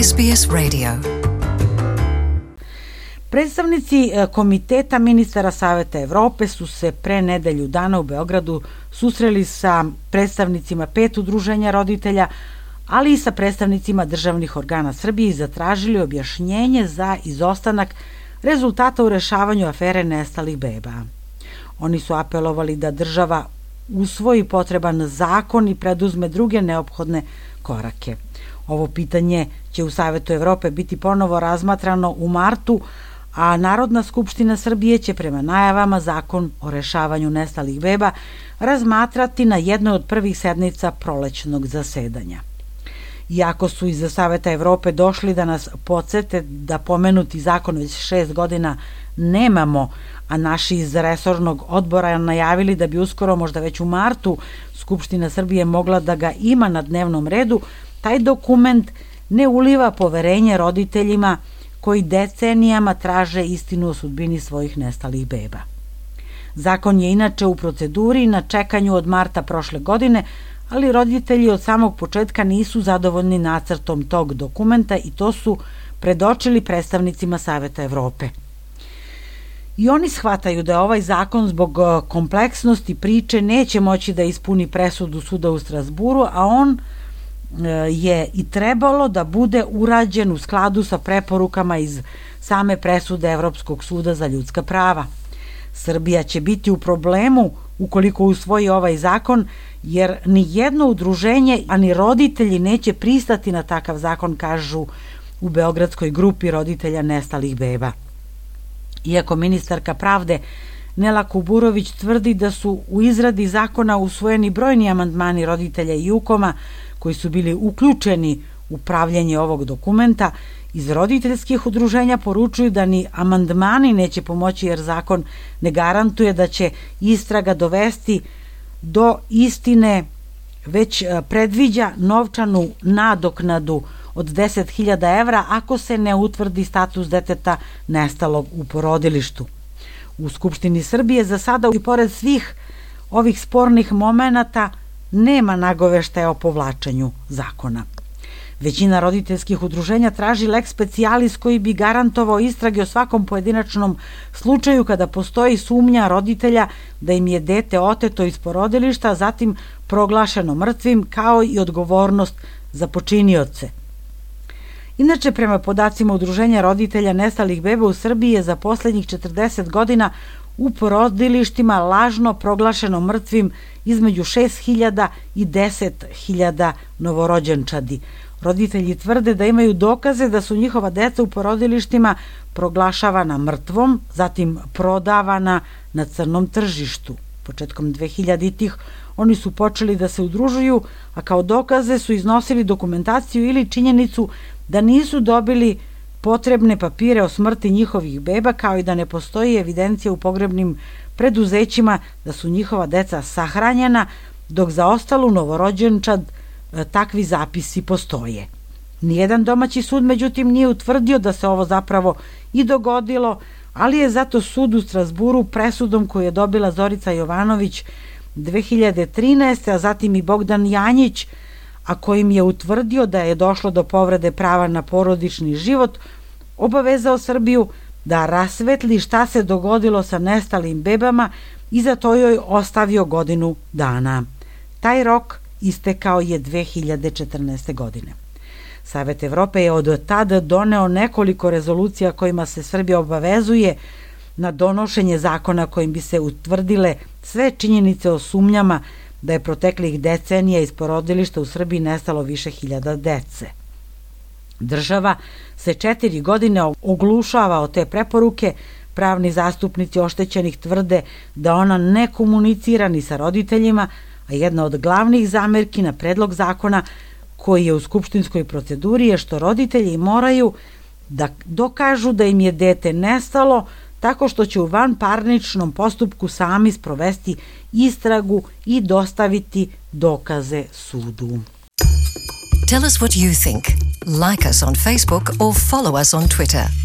SBS Radio. Predstavnici Komiteta ministara Saveta Evrope su se pre nedelju dana u Beogradu susreli sa predstavnicima 5 udruženja roditelja, ali i sa predstavnicima državnih organa Srbije i zatražili objašnjenje za izostanak rezultata u rešavanju afere nestalih beba. Oni su apelovali da država usvoji potreban zakon i preduzme druge neophodne korake. Ovo pitanje će u Savetu Evrope biti ponovo razmatrano u martu, a Narodna skupština Srbije će prema najavama zakon o rešavanju nestalih beba razmatrati na jednoj od prvih sednica prolećnog zasedanja. Iako su iz Saveta Evrope došli da nas podsete da pomenuti zakon već 6 godina nemamo, a naši iz resornog odbora najavili da bi uskoro, možda već u martu, Skupština Srbije mogla da ga ima na dnevnom redu, taj dokument ne uliva poverenje roditeljima koji decenijama traže istinu o sudbini svojih nestalih beba. Zakon je inače u proceduri na čekanju od marta prošle godine, ali roditelji od samog početka nisu zadovoljni nacrtom tog dokumenta i to su predočili predstavnicima Saveta Evrope. I oni shvataju da ovaj zakon zbog kompleksnosti priče neće moći da ispuni presudu suda u Strazburu, a on je i trebalo da bude urađen u skladu sa preporukama iz same presude Evropskog suda za ljudska prava. Srbija će biti u problemu ukoliko usvoji ovaj zakon, jer ni jedno udruženje, ani roditelji neće pristati na takav zakon, kažu u Beogradskoj grupi roditelja nestalih beba. Iako ministarka pravde Nela Kuburović tvrdi da su u izradi zakona usvojeni brojni amandmani roditelja i UKOM-a koji su bili uključeni u pravljenje ovog dokumenta, iz roditeljskih udruženja poručuju da ni amandmani neće pomoći jer zakon ne garantuje da će istraga dovesti do istine, već predviđa novčanu nadoknadu od 10.000 evra ako se ne utvrdi status deteta nestalog u porodilištu. U Skupštini Srbije za sada i pored svih ovih spornih momenata nema nagoveštaja o povlačenju zakona. Većina roditeljskih udruženja traži lex specialis koji bi garantovao istrage o svakom pojedinačnom slučaju kada postoji sumnja roditelja da im je dete oteto iz porodilišta, a zatim proglašeno mrtvim, kao i odgovornost za počinioce. Inače, prema podacima Udruženja roditelja nestalih beba u Srbiji je za poslednjih 40 godina u porodilištima lažno proglašeno mrtvim između 6.000 i 10.000 novorođenčadi. Roditelji tvrde da imaju dokaze da su njihova deca u porodilištima proglašavana mrtvom, zatim prodavana na crnom tržištu. Početkom 2000-ih oni su počeli da se udružuju, a kao dokaze su iznosili dokumentaciju ili činjenicu da nisu dobili potrebne papire o smrti njihovih beba, kao i da ne postoji evidencija u pogrebnim preduzećima da su njihova deca sahranjena, dok za ostalu novorođenčad takvi zapisi postoje. Nijedan domaći sud, međutim, nije utvrdio da se ovo zapravo i dogodilo, ali je zato sud u Strazburu presudom koju je dobila Zorica Jovanović 2013. a zatim i Bogdan Janjić, a kojim je utvrdio da je došlo do povrede prava na porodični život, obavezao Srbiju da rasvetli šta se dogodilo sa nestalim bebama i za to joj ostavio godinu dana. Taj rok istekao je 2014. godine. Savet Evrope je od tada doneo nekoliko rezolucija kojima se Srbija obavezuje na donošenje zakona kojim bi se utvrdile sve činjenice o sumnjama da je proteklih decenija iz porodilišta u Srbiji nestalo više hiljada dece. Država se 4 godine oglušava o te preporuke, pravni zastupnici oštećenih tvrde da ona ne komunicira ni sa roditeljima, a jedna od glavnih zamerki na predlog zakona koji je u skupštinskoj proceduri je što roditelji moraju da dokažu da im je dete nestalo tako što će u vanparničnom postupku sami sprovesti istragu i dostaviti dokaze sudu. Tell us what you think. Like us on Facebook or follow us on Twitter.